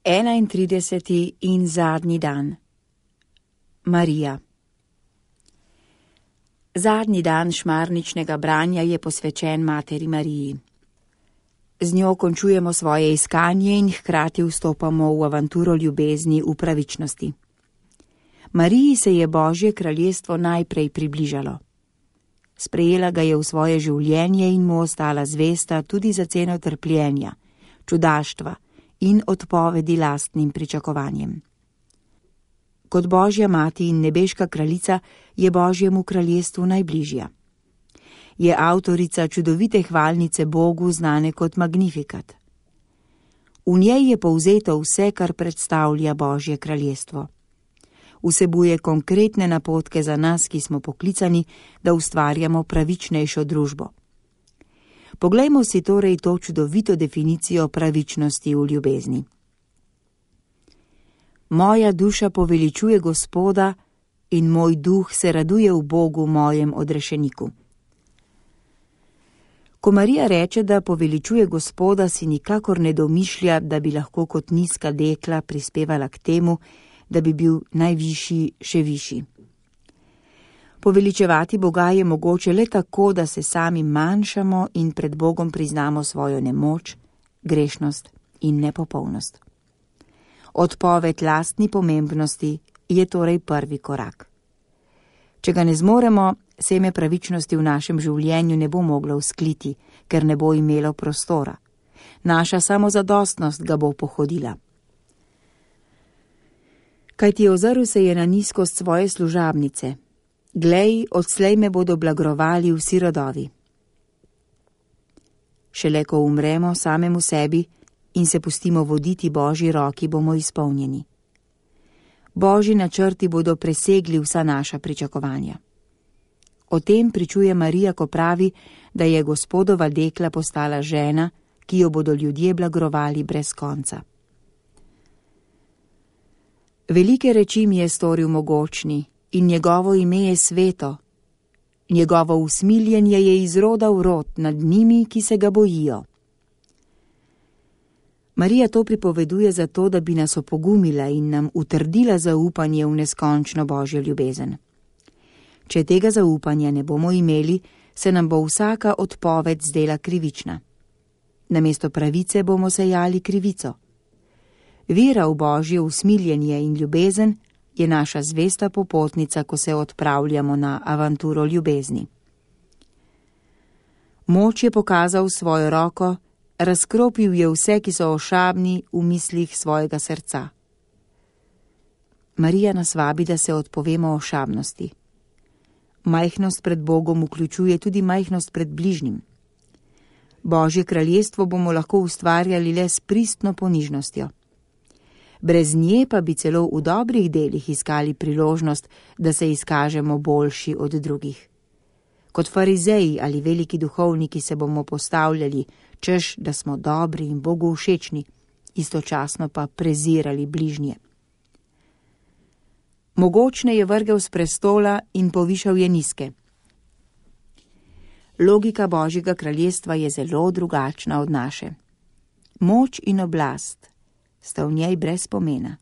31. in zadnji dan. Marija. Zadnji dan šmarničnega branja je posvečen Materi Mariji. Z njo končujemo svoje iskanje in hkrati vstopamo v avanturo ljubezni v pravičnosti. Mariji se je Božje kraljestvo najprej približalo. Sprejela ga je v svoje življenje in mu ostala zvesta tudi za ceno trpljenja, čudaštva in odpovedi lastnim pričakovanjem. Kot Božja mati in nebeška kraljica je Božjemu kraljestvu najbližja. Je avtorica čudovite hvalnice Bogu, znane kot Magnifikat. V njej je povzeto vse, kar predstavlja Božje kraljestvo. Vsebuje konkretne napotke za nas, ki smo poklicani, da ustvarjamo pravičnejšo družbo. Poglejmo si torej to čudovito definicijo pravičnosti v ljubezni. Moja duša poveličuje Gospoda in moj duh se raduje v Bogu, mojem odrešeniku. Ko Marija reče, da poveličuje Gospoda, si nikakor ne domišlja, da bi lahko kot nizka dekla prispevala k temu, da bi bil najvišji še višji. Poveličevati Boga je mogoče le tako, da se sami manjšamo in pred Bogom priznamo svojo nemoč, grešnost in nepopolnost. Odpoved lastni pomembnosti je torej prvi korak. Če ga ne zmoremo, seme pravičnosti v našem življenju ne bo moglo vzkliti, ker ne bo imelo prostora. Naša samozadostnost ga bo pohodila. Kajti ozrl se je na nizkost svoje služabnice. Glej, odslej me bodo blagrovali vsi rodovi. Šele ko umremo samemu sebi in se pustimo voditi Božji roki, bomo izpolnjeni. Božji načrti bodo presegli vsa naša pričakovanja. O tem pričuje Marija, ko pravi, da je Gospodova dekla postala žena, ki jo bodo ljudje blagrovali brez konca. Velike reči mi je storil mogočni in njegovo ime je sveto. Njegovo usmiljenje je iz roda v rod nad njimi, ki se ga bojijo. Marija to pripoveduje zato, da bi nas opogumila in nam utrdila zaupanje v neskončno Božjo ljubezen. Če tega zaupanja ne bomo imeli, se nam bo vsaka odpoved zdela krivična. Namesto pravice bomo sejali krivico. Vera v Božje usmiljenje in ljubezen je naša zvesta popotnica, ko se odpravljamo na avanturo ljubezni. Moč je pokazal svojo roko, razkropil je vse, ki so ošabni v mislih svojega srca. Marija nas vabi, da se odpovemo ošabnosti. Majhnost pred Bogom vključuje tudi majhnost pred bližnjim. Božje kraljestvo bomo lahko ustvarjali le s pristno ponižnostjo. Brez nje pa bi celo v dobrih delih iskali priložnost, da se izkažemo boljši od drugih. Kot farizeji ali veliki duhovniki se bomo postavljali, češ, da smo dobri in Bogu všečni, istočasno pa prezirali bližnje. Mogočne je vrgel s prestola in povišal je nizke. Logika Božjega kraljestva je zelo drugačna od naše. Moč in oblast sta v njej brez pomena.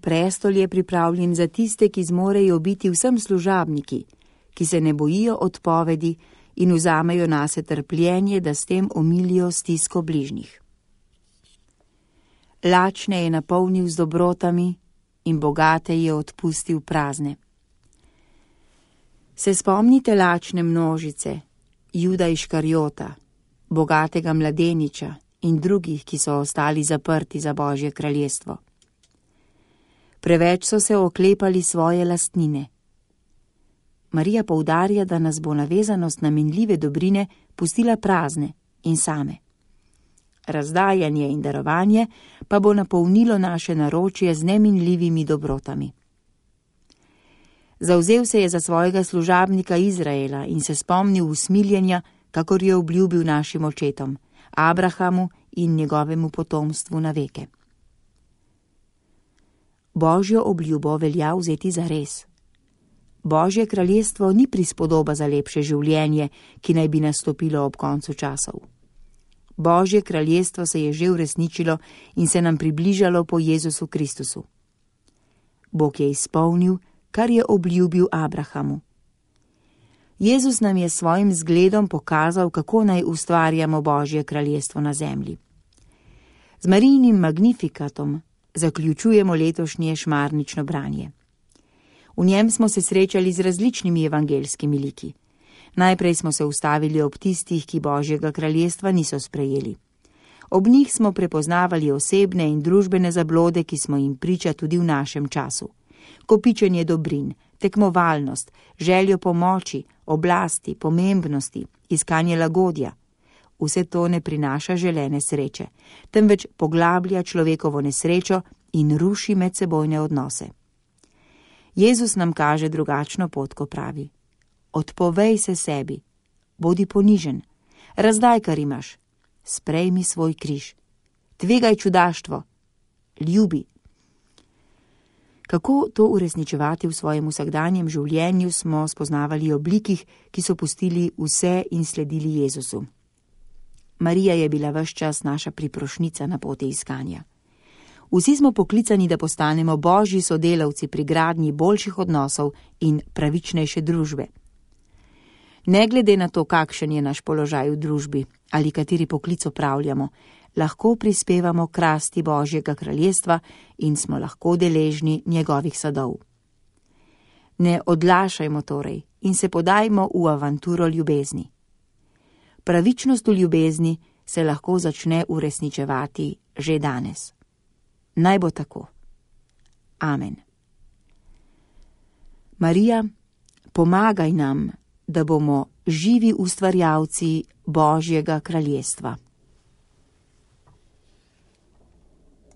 Prestol je pripravljen za tiste, ki zmorejo biti vsem služabniki, ki se ne bojijo odpovedi in vzamejo nase trpljenje, da s tem omilijo stisko bližnjih. Lačne je napolnil z dobrotami in bogate je odpustil prazne. Se spomnite lačne množice, Juda Iškarjota, bogatega mladeniča in drugih, ki so ostali zaprti za Božje kraljestvo. Preveč so se oklepali svoje lastnine. Marija poudarja, da nas bo navezanost na minljive dobrine pustila prazne in same. Razdajanje in darovanje pa bo napolnilo naše naročje z neminljivimi dobrotami. Zavzel se je za svojega služabnika Izraela in se spomnil usmiljenja, kakor je obljubil našim očetom, Abrahamu in njegovemu potomstvu na veke. Božjo obljubo velja vzeti za res. Božje kraljestvo ni prispodoba za lepše življenje, ki naj bi nastopilo ob koncu časov. Božje kraljestvo se je že uresničilo in se nam približalo po Jezusu Kristusu. Bog je izpolnil, kar je obljubil Abrahamu. Jezus nam je svojim zgledom pokazal, kako naj ustvarjamo Božje kraljestvo na zemlji. Z Marijinim Magnifikatom zaključujemo letošnje šmarnično branje. V njem smo se srečali z različnimi evangeljskimi liki. Najprej smo se ustavili ob tistih, ki Božjega kraljestva niso sprejeli. Ob njih smo prepoznavali osebne in družbene zablode, ki smo jim priča tudi v našem času. Kopičenje dobrin, tekmovalnost, željo pomoči, oblasti, pomembnosti, iskanje lagodja. Vse to ne prinaša želene sreče, temveč poglablja človekovo nesrečo in ruši medsebojne odnose. Jezus nam kaže drugačno pot, ko pravi: odpovej se sebi, bodi ponižen, razdaj, kar imaš, sprejmi svoj križ, tvegaj čudaštvo, ljubi. Kako to uresničevati v svojem vsakdanjem življenju, smo spoznavali ob likih, ki so pustili vse in sledili Jezusu. Marija je bila ves čas naša priprošnica na poti iskanja. Vsi smo poklicani, da postanemo Božji sodelavci pri gradnji boljših odnosov in pravičnejše družbe. Ne glede na to, kakšen je naš položaj v družbi ali kateri poklic opravljamo, lahko prispevamo k rasti Božjega kraljestva in smo lahko deležni njegovih sadov. Ne odlašajmo torej in se podajmo v avanturo ljubezni. Pravičnost v ljubezni se lahko začne uresničevati že danes. Naj bo tako. Amen. Marija, pomagaj nam, da bomo živi ustvarjalci Božjega kraljestva.